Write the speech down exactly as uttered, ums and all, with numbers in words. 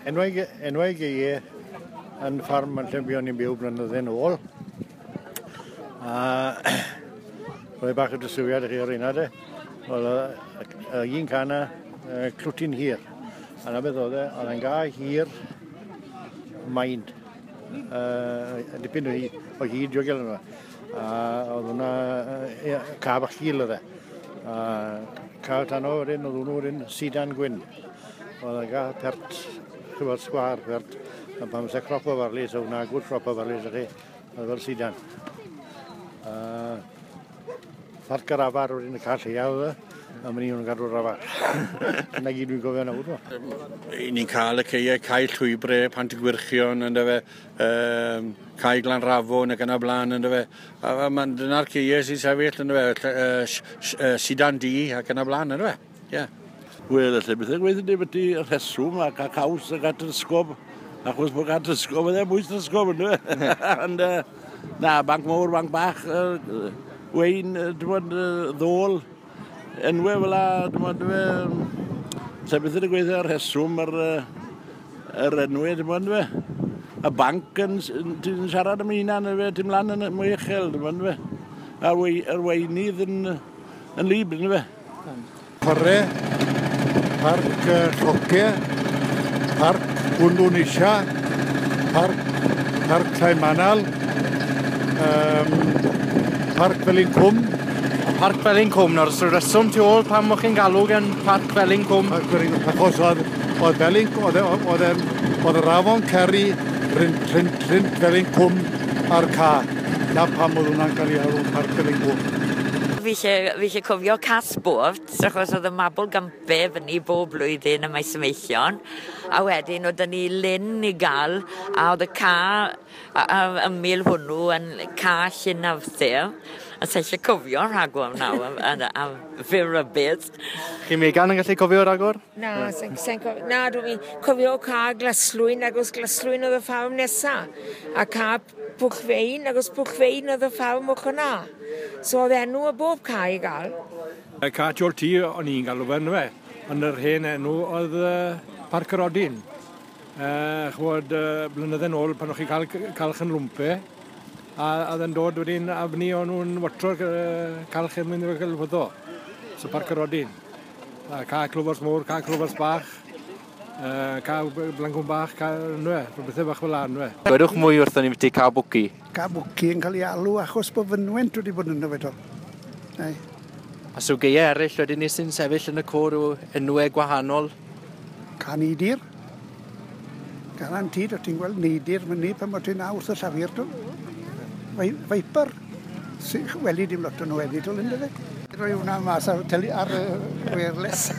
Enwau, enwau geie yn ffarm yn lle buon ni'n byw blynydde nôl. A rhoi bach o drysiwiad i chi ar hynna de. Wel, y un cana, Clwtyn Hir. A na beth oedd e, oedd e'n ga hir main. Uh, dipyn o hyd, o hyd diogel yna. A oedd hwnna, uh, ca bach gul oedd e. A ca tano wedyn, oedd hwnnw wedyn Sidan Gwyn. Oedd e'n ga pert, chybod, sgwar pert. A pan fysa crop o farley, so hwnna good crop o farley, so chi, oedd fel sidan. Uh, Parc yr Afar wedyn y ca lleia oedd e, a mynd i nhw'n gadw'r afar. Na gyd dwi'n gofio nawr. I ni'n cael y ceie, cae Llwybre, Pant y Gwyrchion, ynddo fe, um, cae Glanrafon ac yn y blaen, ynddo fe. A, a man, dyna'r ceie sy'n sefyll, ynddo fe, uh, Sidan Du ac yn y blaen, ynddo fe. Ie. Yeah. Wel, allai beth yn gweithio ni beth y rheswm ac a caws ac at ysgob, achos bod at ysgob, oedd e bwys ysgob, ynddo fe. Ond, na, banc mawr, banc bach, uh, Wein, dwi'n bod, ddôl, enwau fel la, dwi'n bod, lle beth yn gweithio ar rheswm yr, yr enwau, dwi'n bod, y banc yn, ti'n siarad am hunan, ti'n mlaen yn mwy uchel, dwi'n bod, a'r wei, yr weinydd yn, yn lib, dwi'n fe. Chwarae, Parc Lloce, Parc Gwndwn Isha, Parc, Parc Llai um, Parc Felin Cwm. Parc Felin Cwm, nawr, so reswm tu ôl pam o'ch chi'n galw gan Parc Felin Cwm? Parc Felin Cwm, achos oedd, oedd Felin, oedd, oedd, oedd yr afon Ceri rhynt, rhynt, rhynt Felin Cwm a'r ca. Na pam oedd hwnna'n cael ei alw Parc Felin Cwm. Fi eisiau cofio Casbwrt, achos oedd y mabwl gampe fyny bob blwyddyn y Maes Ymeichion. A wedyn oedd ni lyn i gael, a oedd y ca ymyl hwnnw yn ca Llyn Arthur. A sa eisiau cofio rhagor nawr am, am fyr rybudd. Chi Megan yn gallu cofio rhagor? Na, sa'n sa cofio. Na, dwi'n cofio ca Glaslwyn, agos Glaslwyn oedd y ffarm nesa. A ca Pwchfein, agos Pwchfein oedd y ffarm o'ch yna. So oedd enw o bob ca i gael. Y ca Tiol Tŷ o'n i'n galw fe, fe. Ond yr hen enw oedd uh, Parc yr Odyn. Uh, chwod, uh, blynydde nôl pan o'ch chi'n cael calch yn lwmpe, a oedd yn dod wedyn a fyny o'n nhw'n watro'r uh, calch yn mynd i'r gelfyddo. So Parc yr Odyn. A ca Clwfars Môr, ca Clwfars Bach, uh, ca Blancwn Bach, ca nwe, rhywbethau bach fel la nwe. Gwedwch mwy wrthon ni byti ca Bwci? Ca Bwci yn cael ei alw achos bod fynwent wedi bod yno fe do. Nei. A so geie eraill wedyn ni sy'n sefyll yn y côr o enwau gwahanol? Ca Neidir. Garantid, o ti'n gweld neidir myny pan bod ti'n wrth y llafur do. Viper. Weli dim lot o'n nhw wedyn, ynddo fe? Rhoi hwnna mas ar, tele, ar uh, wireless.